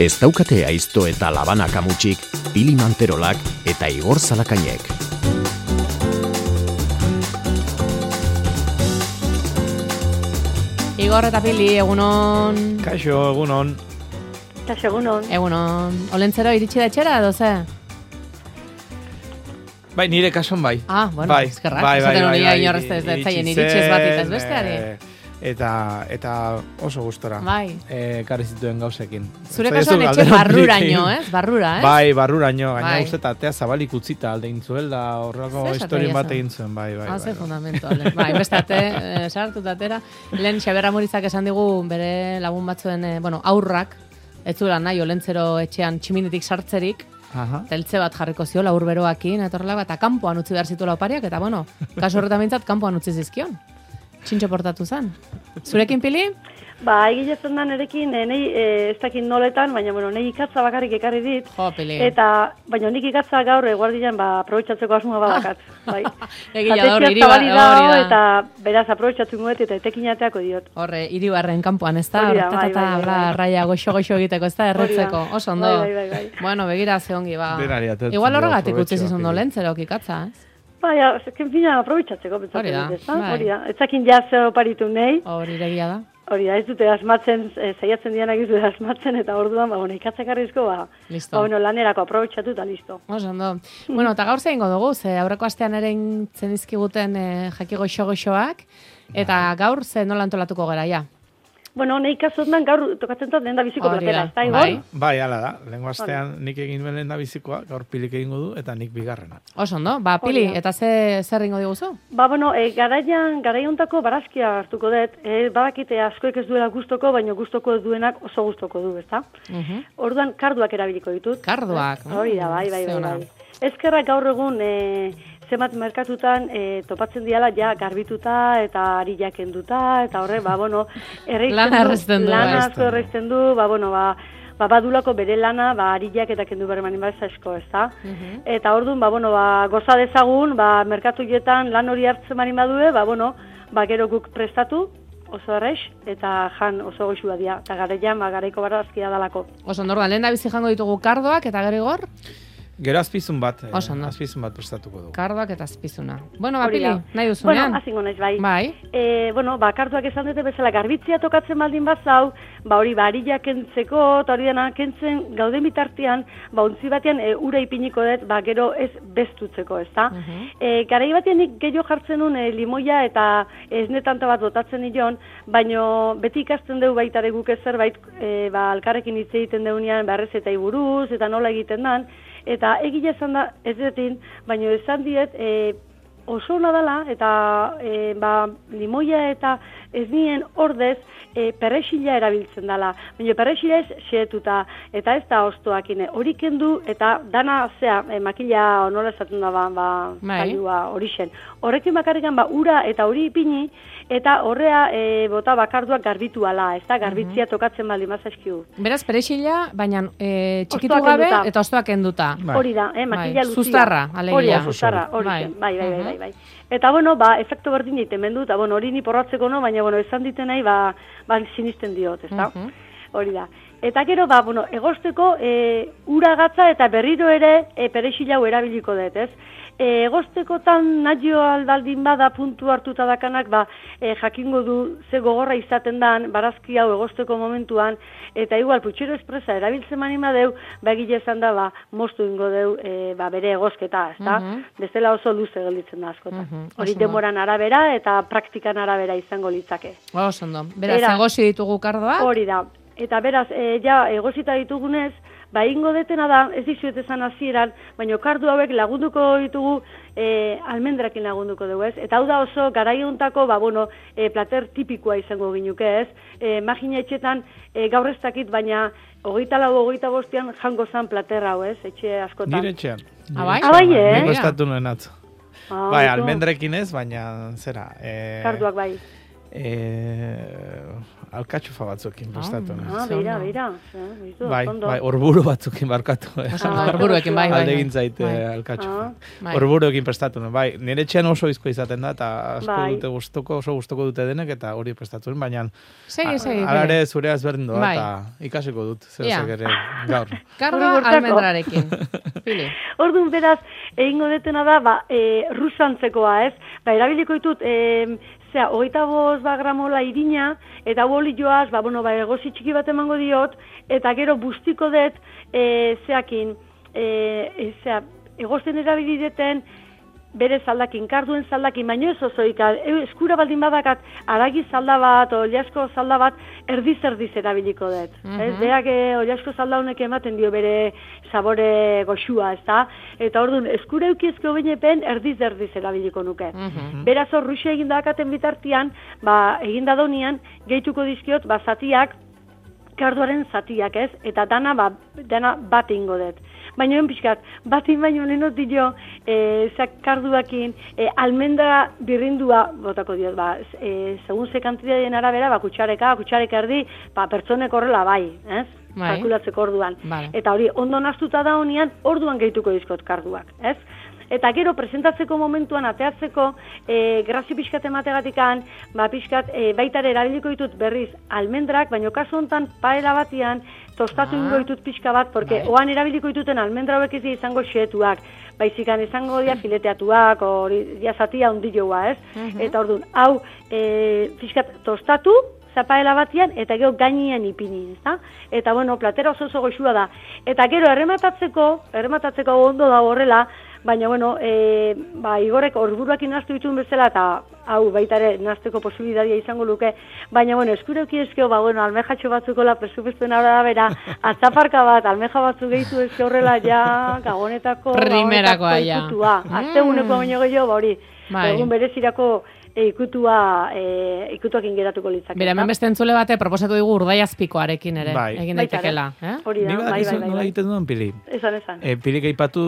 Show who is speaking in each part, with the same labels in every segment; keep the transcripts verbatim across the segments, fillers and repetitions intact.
Speaker 1: Ez daukate aizto eta labana kamutsik, Pili Manterolak eta Igor Zalakainek.
Speaker 2: Igor eta Pili, egunon.
Speaker 3: Kaixo, egunon.
Speaker 4: Kaixo, egunon.
Speaker 2: Egunon. Olentzero iritsi da etxera, edo ze?
Speaker 3: Bai, nire kason bai.
Speaker 2: Ah, bueno,
Speaker 3: bai,
Speaker 2: eskerrak.
Speaker 3: bai, bai,
Speaker 2: Zaten
Speaker 3: bai,
Speaker 2: hori
Speaker 3: bai,
Speaker 2: inorrez ez dut zaien iritsi ez bat ez besteari.
Speaker 3: eh, Eta, eta oso gustora.
Speaker 2: Bai.
Speaker 3: Eh, karri zituen gauzekin.
Speaker 2: Zure
Speaker 3: Zaizu
Speaker 2: kasuan etxe
Speaker 3: galdera
Speaker 2: barruraino,
Speaker 3: horirekin.
Speaker 2: ez? Barrura, ez?
Speaker 3: Bai, barruraino, gaina
Speaker 2: Bai.
Speaker 3: uste eta atea zabalik utzita alde intzuela, horrelako
Speaker 2: Zer esaten
Speaker 3: historien bat
Speaker 2: diezu?
Speaker 3: egin zuen, bai, bai.
Speaker 2: Ah,
Speaker 3: bai,
Speaker 2: ze
Speaker 3: bai.
Speaker 2: fundamento, ale. Bai, beste ate, eh, sartu tatera. Lehen Xabier Amurizak esan digu bere lagun batzuen, eh, bueno, aurrak, ez zuela nahi Olentzero etxean tximinetik sartzerik,
Speaker 3: Aha.
Speaker 2: teltze bat jarriko zio, laur beroakin, etorrela, eta kanpoan utzi behar zituela opariak, eta bueno, kasu horretan bintzat, kanpoan utzi zizkion. Txintxo portatu zen. Zurekin, Pili?
Speaker 4: Ba, egile zen da nerekin, e, nei, e, ez dakit noletan, baina, bueno, nei ikatza bakarrik ekarri dit.
Speaker 2: Jo, Pili.
Speaker 4: Eta, baina nik ikatza gaur eguardian, ba, aprobetxatzeko asmoa badakat. Bai.
Speaker 2: Egia da, hori,
Speaker 4: Jatetxea
Speaker 2: hiri ba-
Speaker 4: zabalik
Speaker 2: hori
Speaker 4: dago,
Speaker 2: da.
Speaker 4: eta beraz aprobetxatzen guet, eta etekinateako diot.
Speaker 2: Horre, hiribarren kanpoan, ez da?
Speaker 4: Hori da, bai,
Speaker 2: Horretata,
Speaker 4: bai, bai,
Speaker 2: bla,
Speaker 4: bai.
Speaker 2: raia goxo-goxo egiteko, ez da? Erretzeko, oso ondo.
Speaker 4: Bai, bai, bai, bai.
Speaker 2: Bueno, begira ze ongi, ba.
Speaker 3: Denari atertzen
Speaker 2: Igual
Speaker 3: dio
Speaker 2: horregatik utzi
Speaker 3: aprobetxoak
Speaker 2: zizun
Speaker 3: egin.
Speaker 2: Olentzero ikatza, ez?
Speaker 4: Bai, ja, ezken fina aprobetxatzeko,
Speaker 2: Hori
Speaker 4: pentsatzen
Speaker 2: da,
Speaker 4: dut, ez da?
Speaker 2: bai.
Speaker 4: Hori da, etzakin jaz oparitu nahi,
Speaker 2: Hori iregia da.
Speaker 4: hori da, ez dute asmatzen, e, zaiatzen dianak ez dute asmatzen, eta orduan, ba, bueno, ikatzakarrizko, ba,
Speaker 2: Listo.
Speaker 4: ba, bueno, lanerako aprobetxatu eta listo.
Speaker 2: Oso ondo. Bueno, eta gaur zein dugu, ze aurreko astean ere intzen izkiguten eh, jaki goxo-goxoak, eta gaur ze nola antolatuko gara, ja?
Speaker 4: Bueno, nahi kasotan gaur tokatzen dut lehen da biziko
Speaker 2: Hori
Speaker 4: platera,
Speaker 2: da,
Speaker 4: ez da, Igor?
Speaker 2: bai.
Speaker 3: Bai, hala da. Lehengo astean nik egin nuen lehen da bizikoa, gaur Pilik egingo du, eta nik bigarrena.
Speaker 2: Oso ondo, ba, Pili,
Speaker 4: Hori da.
Speaker 2: eta ze zer ingo diguzu?
Speaker 4: Ba, bueno, e, garaian, garaiontako barazkia hartuko dut, e, badakite askoek ez duela gustoko, baina gustoko duenak oso gustoko du, ezta?
Speaker 2: Mhm.
Speaker 4: Orduan karduak erabiliko ditut.
Speaker 2: Karduak.
Speaker 4: Hori da, bai, bai,
Speaker 2: Ze
Speaker 4: bai,
Speaker 2: ona.
Speaker 4: bai. Ezkerrak gaur egun e, zenbat merkatutan e, topatzen diala ja garbituta eta ari jakenduta, eta horre, ba, bueno, erreizten
Speaker 2: Lana erreizten du,
Speaker 4: lana
Speaker 2: bai.
Speaker 4: asko erreizten du, ba, bueno, ba, ba, badulako bere lana, ba, ariak eta kendu behar manin bat asko, ez da?
Speaker 2: Mhm.
Speaker 4: Eta orduan, ba, bueno, ba, goza dezagun, ba, merkatuetan lan hori hartzen manin badue, ba, bueno, ba, gero guk prestatu, oso errex, eta jan oso goxua dia, eta garaian, ba, garaiko barazkia dalako.
Speaker 2: Oso ondo, orduan, lehen da bizi jango ditugu kardoak, eta gero Igor?
Speaker 3: Gero azpizun bat, eh,
Speaker 2: Oso ondo.
Speaker 3: azpizun bat prestatuko dugu.
Speaker 2: Kardoak eta azpizuna. Bueno, ba,
Speaker 4: Hori
Speaker 2: Pili,
Speaker 4: da.
Speaker 2: nahi duzunean?
Speaker 4: Bueno, azingo naiz, bai.
Speaker 2: Bai.
Speaker 4: E, bueno, ba, kartuak esan dute bezala garbitzia tokatzen baldin bazau, ba, hori, ba, arila kentzeko, eta hori dena kentzen gauden bitartean, ba, ontzi batean e, ura ipiniko dut, ba, gero ez bestutzeko, ez da?
Speaker 2: Mhm.
Speaker 4: E, garai batean nik gehiago jartzen nun e, limoia eta esnetanta bat botatzen nion, baino beti ikasten dugu baita ere guk ez zerbait, e, ba, alkarrekin hitz egiten deunean, ba, errezetai buruz, eta nola egiten dan, eta egile esan da, ez detin, baino esan diet, e, oso ona dela, eta e, ba, limoia eta ez nien ordez, e, perrexila erabiltzen dela. Baina perrexila ez xeetuta, eta ez da oztoakine. Hori kendu, eta dana, zea, e, makila nola esaten da, ba, ba
Speaker 2: Bai.
Speaker 4: kailua hori zen. Horrekin bakarrikan, ba, ura eta hori ipini, eta horrea e, bota bakarduak garbitu ala, ez da, garbitzia tokatzen baldin mazazkiu.
Speaker 2: Beraz, perexila, baina e, txikitu
Speaker 4: Hostoak
Speaker 2: gabe
Speaker 4: kenduta.
Speaker 2: eta ostoak kenduta.
Speaker 3: Bai.
Speaker 4: Hori da, eh, makila
Speaker 2: Bai,
Speaker 4: luzia.
Speaker 2: zuztarra, alegia.
Speaker 4: Hori da,
Speaker 3: Oso
Speaker 4: zuztarra,
Speaker 3: soil.
Speaker 4: hori
Speaker 2: Bai.
Speaker 4: zen, bai, bai, bai,
Speaker 2: Mhm.
Speaker 4: bai, bai. Eta, bueno, ba, efektu berdin egiten mendu, eta, bueno, hori ni porratzeko no, baina, bueno, esan diten nahi, ba, ba sinisten diot, ez da?
Speaker 2: Mhm.
Speaker 4: Hori da. Eta gero, ba, bueno, egosteko e, ura gatza eta berriro ere e, perexila hau erabiliko dut, ez? E, egostekotan nahio aldaldin bada puntu hartuta dakanak, ba, e, jakingo du ze gogorra izaten dan, barazki hau egosteko momentuan, eta igual, putxero espresa erabiltzen mani madeu, ba, egile esan da, ba, moztu ingo deu, e, ba, bere egosketa, ez da?
Speaker 2: Mhm.
Speaker 4: Bestela oso luze gelditzen da askotan.
Speaker 2: Mhm,
Speaker 4: Hori
Speaker 2: oso ondo.
Speaker 4: denboran arabera eta praktikan arabera izango litzake.
Speaker 2: Oso ondo. Beraz,
Speaker 4: Beraz,
Speaker 2: egosi ditugu kardoak.
Speaker 4: Hori da. Eta beraz, e, ja, egosita ditugunez, ba, ingo detena da, ez dizuet esan hasieran, baina kardu hauek lagunduko ditugu, e, almendrakin lagunduko dugu, ez? Eta hau da oso, garaiuntako, ba, bueno, e, plater tipikoa izango ginuke, ez? E, magina etxetan, e, gaur ez dakit, baina hogeita lau, hogeita bostean jango zan plater hau, ez? Etxe askotan.
Speaker 3: Nire etxean.
Speaker 2: Ah, bai?
Speaker 4: Ah, bai, eh?
Speaker 3: Nik prestatu nuen atzo.
Speaker 4: Ah,
Speaker 3: Bai,
Speaker 4: ondo.
Speaker 3: almendrekin ez, baina zera. Eh,
Speaker 4: Karduak bai.
Speaker 3: eh, alkatxofa batzukin prestatu.
Speaker 4: Ah, beira, beira.
Speaker 3: Bai, bai, orburu batzukin barkatu.
Speaker 2: Orburuekin, bai, bai.
Speaker 3: Alde egin zaite alkatxofa. Orburuekin prestatu. Bai, nire etxean oso izko izaten da, eta asko dute gustuko, oso gustuko dute denek, eta hori prestatu. Baina, alare zure ezberdin doa, eta ikasiko dut, zer ere gaur.
Speaker 2: Kardoa almendrarekin.
Speaker 4: Orduan, beraz, egingo detena da, ba, rusantzekoa, ez? Ba, erabiliko ditut, zera, hogeita bost ba gramola irina, eta boli joaz, ba, bueno, ba, egozi txiki bat emango diot, eta gero bustiko dut, e, zeakin, e, zera, egozten erabilideten, bere zaldakin, karduen zaldakin, baino ez osoik, eskura baldin badakat, aragi zalda bat, oliasko zalda bat, erdiz-erdiz erabiliko dut. Mm -hmm. Ez, berak oliasko zalda honek ematen dio bere sabore goxua, ez da? Eta orduan, eskura eukiezko benepen, erdiz-erdiz erabiliko nuke. Mm -hmm. Beraz hor, ruxe egin dakaten bitartian, ba, egin dadonian, gehituko dizkiot, ba, zatiak, karduaren zatiak, ez? Eta dana, ba, dana bat ingo dut. Baina en pixkat, batin baino lenot dio, e, zak karduakin, e, almendra birrindua, botako diot, ba, e, segun ze kantidadien arabera, ba, kutsareka, kutsareka erdi, ba, pertsonek horrela bai, ez? Bai. Kalkulatzeko orduan. Vale. Eta hori, ondo naztuta da honian, orduan gehituko dizkot karduak, ez? Eta gero, presentatzeko momentuan, ateatzeko, e, grazi pixkat emategatikan, ba, pixkat, e, baitare erabiliko ditut berriz almendrak, baina kasu honetan paela batian, tostatu ingo ditut pixka bat, porque bai. Oan erabiliko dituten almendra hauek ez izango xeetuak, baizikan izango dia fileteatuak, hori dia zatia ondilloa, ez? Uh -huh. Eta orduan, hau, e, pixkat tostatu, zapaela batian, eta gero gainean ipini, ezta? Eta, bueno, platera oso oso goxua da. Eta gero, errematatzeko, errematatzeko ondo da horrela, baina, bueno, e, ba, Igorek orburuak inaztu dituen bezala, eta hau baita ere nazteko posibilitatea izango luke, baina, bueno, eskureuki eskeo, ba, bueno, almejatxo batzukola presupestuen arra bera, atzaparka bat, almeja batzu gehitu eske horrela, ja, gagonetako,
Speaker 2: primerakoa, ja.
Speaker 4: Ikutua. Azte guneko baino gehiago, ba, hori, egun berezirako, E, ikutua, e, ikutuakin geratuko litzake.
Speaker 2: Bera, hemen beste entzule bate proposatu digu urdaiazpikoarekin ere, bai. Egin daitekela. Eh?
Speaker 4: Hori da,
Speaker 3: bai, bai, bai. Nola egiten duen, Pili?
Speaker 4: Esan, esan.
Speaker 3: E, Pili geipatu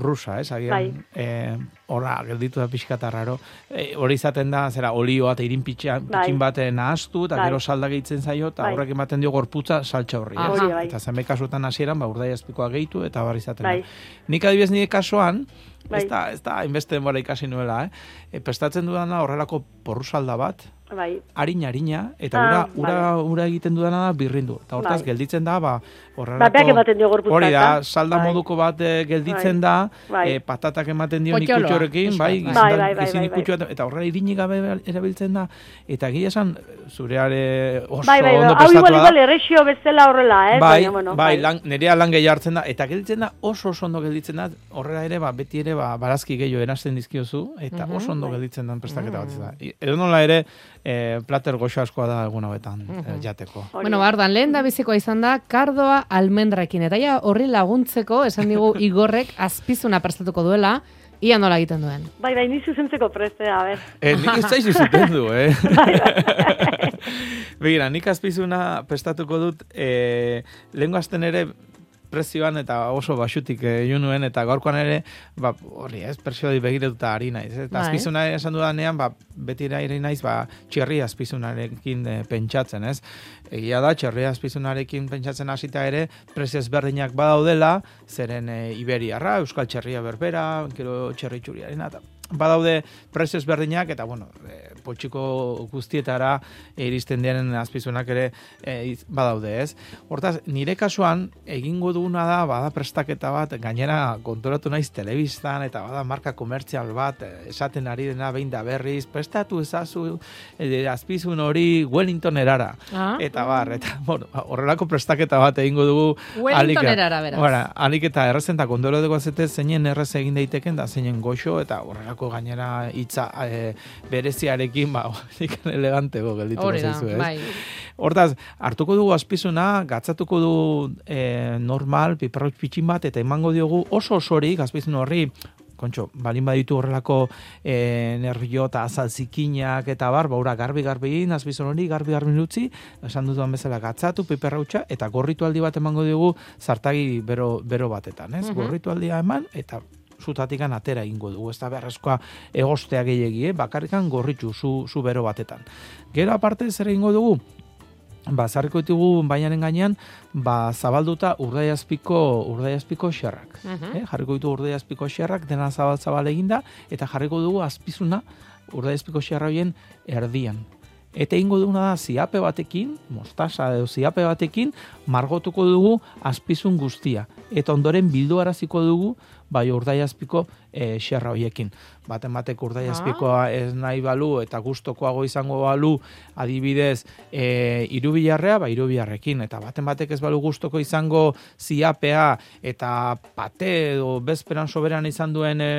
Speaker 3: rusa, ez? Agian, bai. E, Horra, gelditu da pixka tarraro. E, hori izaten da, zera, olioa eta irin pitxin bai. bat nahaztu, eta bai. Gero salda gehitzen zaio, eta bai. Horrek ematen dio gorputza saltxa horri.
Speaker 4: Ah, bai.
Speaker 3: Eta zenbait kasuetan hasieran, ba, urdaiazpikoa gehitu, eta barri izaten bai. Da. Nik adibidez nire kasuan, bai. ez da, ez da, inbeste denbora ikasi nuela, eh? E, prestatzen dudana horrelako porru salda bat, bai. Harina, harina, eta ura, ah, ura, bai. ura egiten dudana da birrindu. Eta hortaz, bai. gelditzen da, ba, horrelako... Hori da, salda bai. moduko bat e, gelditzen bai. da, bai. E, patatak ematen dio nikutxorekin, bai, bai, bai, bai, bai, bai, bai. Eta horrela irinik gabe erabiltzen da, eta gila esan, zureare oso bai, bai, ondo prestatua da. Hau igual,
Speaker 4: igual, errexio bezala horrela, eh?
Speaker 3: Bai, bueno, bai, bai. Lan, nerea lan gehi hartzen da, eta gelditzen da, oso oso ondo gelditzen da, horrela ere, ba, beti ere, ba, barazki gehiago erazten dizkiozu, eta uh -huh, oso ondo bai. gelditzen den prestaketa bat da. Edo nola ere, e, plater goxo askoa da egun hauetan uh -huh. e, jateko.
Speaker 2: Bueno, bardan, lehen da bizikoa izan da, kardoa almendrakin, eta ja horri laguntzeko, esan digu Igorrek azpizuna prestatuko duela, ia nola egiten duen.
Speaker 4: Bai, bai, ni zuzentzeko prestea, a ber.
Speaker 3: Eh, nik ez zaizu zuten du, eh? Bai, bai. Begira, nik azpizuna prestatuko dut, eh, lehen gazten ere, prezioan eta oso basutik egin nuen, eta gaurkoan ere, ba, hori ez, persiodi begiratuta ari naiz. Eta azpizuna esan dudanean, ba, beti ari naiz, ba, txerri azpizunarekin e, pentsatzen, ez? Egia da, txerri azpizunarekin pentsatzen hasita ere, prezio ezberdinak badaudela, zeren e, Iberiarra, Euskal Txerria berbera, gero txerri txuriarena, eta badaude prezio ezberdinak, eta, bueno, e, potxiko guztietara iristen diren azpizunak ere e, badaude, ez? Hortaz, nire kasuan, egingo duguna da, bada prestaketa bat, gainera konturatu naiz telebistan, eta bada marka komertzial bat, esaten ari dena behin da berriz, prestatu ezazu e, azpizun hori Wellington erara. Ah. Eta bar, eta, bueno, horrelako prestaketa bat egingo dugu.
Speaker 2: Wellington erara, beraz.
Speaker 3: Bueno, alik eta errezen, eta konturatu dugu azete, zeinen errez egin daiteken, da zeinen goxo, eta horrelako gainera hitza e, bereziarekin, ba, elegantego gelditu zaizu, ez? Bai. Hortaz, hartuko dugu azpizuna, gatzatuko du e, normal, piperroik pitxin bat, eta emango diogu oso osorik, azpizun horri, kontxo, balin baditu horrelako e, nervio eta azalzikinak eta bar, baura garbi-garbi, azpizun hori, garbi-garbi nutzi, esan dutuan bezala gatzatu, piperrautxa, eta gorritu aldi bat emango diogu zartagi bero, bero batetan, ez? Uh -huh. Gorritu aldia eman, eta zutatikan atera egingo dugu, ez da beharrezkoa egostea gehiegi, eh? Bakarrikan gorritxu, zu, zu bero batetan. Gero aparte zer egingo dugu? Ba, zarriko ditugu bainaren gainean, ba, zabalduta urdaiazpiko, urdaiazpiko xerrak.
Speaker 2: Uh-huh.
Speaker 3: eh? Jarriko ditu urdaiazpiko xerrak, dena zabal-zabal eginda, eta jarriko dugu azpizuna urdaiazpiko xerra horien erdian. Eta egingo duguna da ziape batekin, mostaza edo ziape batekin, margotuko dugu azpizun guztia. Eta ondoren bilduaraziko dugu, bai urdaiazpiko e, xerra horiekin. Baten batek urdaiazpikoa ez nahi balu eta gustokoago izango balu adibidez e, irubilarrea, ba irubilarrekin. Eta baten batek ez balu gustoko izango ziapea eta pate edo bezperan soberan izan duen e,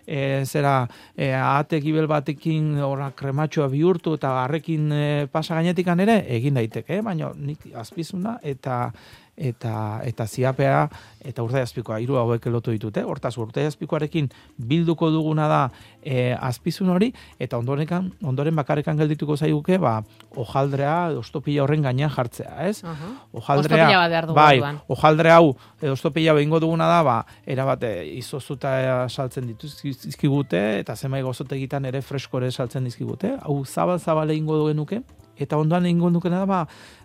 Speaker 3: e, zera e, ahate gibel batekin ora krematxoa bihurtu eta harrekin e, pasa gainetikan ere egin daiteke, eh? Baina nik azpizuna eta eta eta ziapea eta urdaiazpikoa hiru hauek lotu ditute. Hortaz urdaiazpikoarekin bilduko duguna da e, azpizun hori eta ondoren ondoren bakarrekan geldituko zaiguke ba hojaldrea edo ostopila horren gainean jartzea, ez?
Speaker 2: Uh-huh.
Speaker 3: Hojaldrea bai, hojaldre hau edo ostopila behingo duguna da ba erabate izozuta saltzen dituzkigute eta zenbait gozotegitan ere freskore saltzen dizkigute. Hau zabal-zabal egingo dugenuke. Eta ondoan egingo dukena da, ba,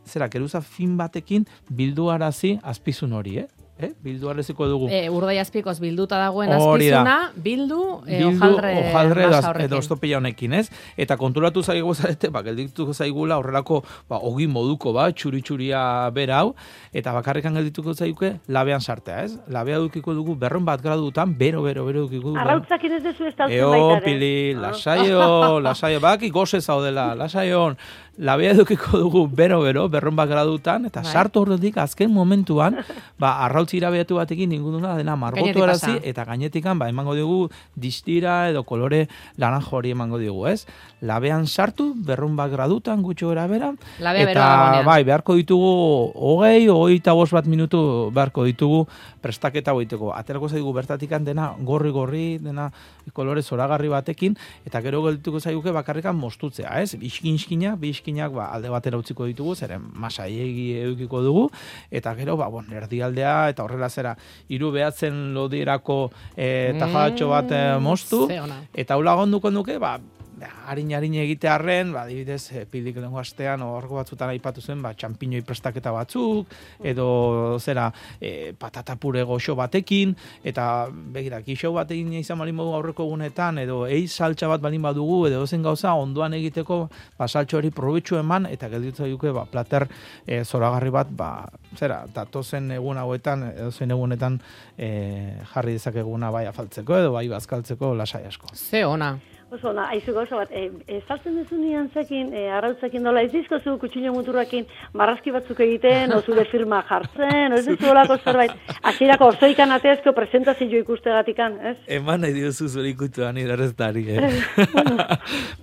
Speaker 3: zera, keruza fin batekin bilduarazi azpizun hori, eh? Eh? Bilduaraziko dugu.
Speaker 2: E, urdaiazpikoz bilduta dagoen azpizuna, bildu, e, ojaldre,
Speaker 3: ojaldre
Speaker 2: masa horrekin.
Speaker 3: Edo ostopila honekin, ez? Eta konturatu zaigu zarete, ba, geldituko zaigula horrelako ba, ogi moduko, ba, txuri-txuria bera hau, eta bakarrekan geldituko zaiguke labean sartea, ez? Labea dukiko dugu berron bat gradutan, bero, bero, bero dukiko dugu.
Speaker 4: Arrautzakin ez dezu ez taltzen
Speaker 3: Eo,
Speaker 4: baita,
Speaker 3: pili, lasaio, lasaio, baki goze zaudela, lasaion, labea dukiko dugu bero-bero, berron bat gradutan, eta
Speaker 2: bai.
Speaker 3: sartu horretik azken momentuan, ba, arrautz irabeatu batekin ninguna dena margotu erazi, eta gainetikan, ba, emango dugu distira edo kolore laranjo hori emango dugu, ez? Labean sartu, berron bat gradutan, gutxo era bera, eta bai, beharko ditugu hogei, hogeita bost bat minutu beharko ditugu prestaketa goiteko. Aterako zaigu bertatikan dena gorri-gorri, dena kolore zoragarri batekin, eta gero geldituko zaiguke bakarrikan mostutzea, ez? Iskin-iskinak, bi iskinak ba, alde batera utziko ditugu, zeren masaiegi edukiko dugu, eta gero, ba, bon, erdialdea, eta horrela zera, hiru behatzen lodirako e, tajatxo bat e, mostu, eta hau lagunduko nuke, ba, harin-harin egitearren, ba, dibidez, e, pildik lengo astean, horko batzutan aipatu zen, ba, txampiñoi prestaketa batzuk, edo zera, e, patata pure goxo batekin, eta begira, kixo batekin izan balin modu aurreko egunetan, edo eiz saltxa bat balin badugu, edo zen gauza, ondoan egiteko, ba, saltxo hori probetxu eman, eta gelditu duke, ba, plater e, zoragarri bat, ba, zera, datozen egun hauetan, edo zen egunetan e, jarri dezakeguna bai afaltzeko, edo bai bazkaltzeko lasai asko.
Speaker 2: Ze ona.
Speaker 4: Oso, na, aizu gauza bat, e, e, saltzen duzu nian zekin, e, arrautzekin dola, ez dizkozu kutxino muturrakin marrazki batzuk egiten, o zure firma jartzen, ez dizu olako zerbait, hasierako orzoikan ateazko presentazio ikusteagatikan, ez?
Speaker 3: Eman nahi diozu zure ikutuan irarreztari, eh?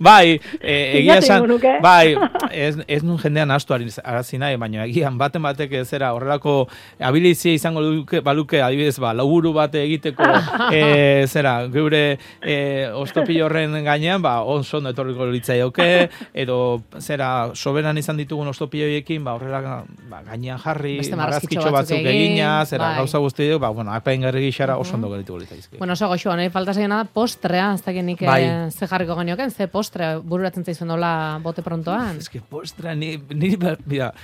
Speaker 3: Bai, e, egia esan, bai, ez, ez nun jendean astu arazi nahi, baina egian baten batek zera horrelako abilizia izango duke, baluke, adibidez, ba, laburu bate egiteko, e, zera, geure e, ostopillo horren gainean, ba, onzon etorriko litzaioke, edo, zera, soberan izan ditugun ostopioiekin, ba, horrela, ba, gainean jarri, marrazkitxo batzuk egina, zera, bai. Gauza guzti ba, bueno, apain garri gixara oso ondo gerituko litzaizki.
Speaker 2: Bueno, oso goxo, nahi falta zegena da postrea, ez dakit nik bai. Ze jarriko genioken, ze postre bururatzen zaizuen dola bote prontoan.
Speaker 3: Ez que postre, ni, ni, mira,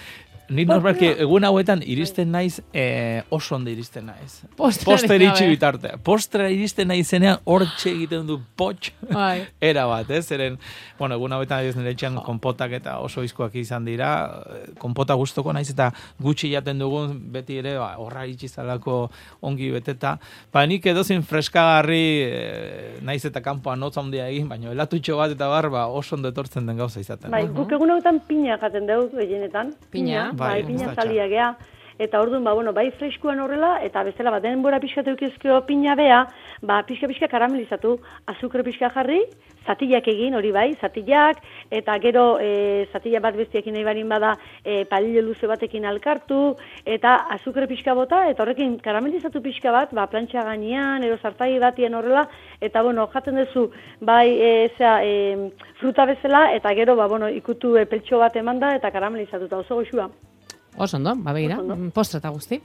Speaker 3: ni normalki egun hauetan iristen naiz, eh, oso ondo iristen naiz. Postre iritsi bitartea. Postre iristen naizenean hortxe egiten du potx.
Speaker 2: Bai.
Speaker 3: Era bat, ez? Zeren, bueno, egun hauetan ez nire etxean konpotak eta oso izkoak izan dira. Konpota gustoko naiz eta gutxi jaten dugun beti ere, ba, horra iritsi zalako ongi beteta. Ba, nik edozin freskagarri eh, naiz eta kanpoan notza handia egin, baina elatutxo bat eta bar, ba, oso ondo etortzen den gauza izaten.
Speaker 4: Bai, guk egun hauetan pina jaten dugu gehienetan.
Speaker 2: Pina?
Speaker 4: Bai, pina zalia gea. Eta orduan, ba, bueno, bai freskuan horrela, eta bezala bat denbora pixka teukizkio pina bea, ba, pixka-pixka karamelizatu, azukre pixka jarri, zatillak egin, hori bai, zatillak, eta gero e, zatilla bat bestiekin nahi barin bada e, palillo luze batekin alkartu, eta azukre pixka bota, eta horrekin karamelizatu pixka bat, ba, plantxa gainean, ero zartai batien horrela, eta, bueno, jaten duzu, bai, e, zera, e, fruta bezala, eta gero, ba, bueno, ikutu e, peltxo bat emanda, eta karamelizatuta oso goxua.
Speaker 2: Oso ondo, ba begira, postre eta guzti.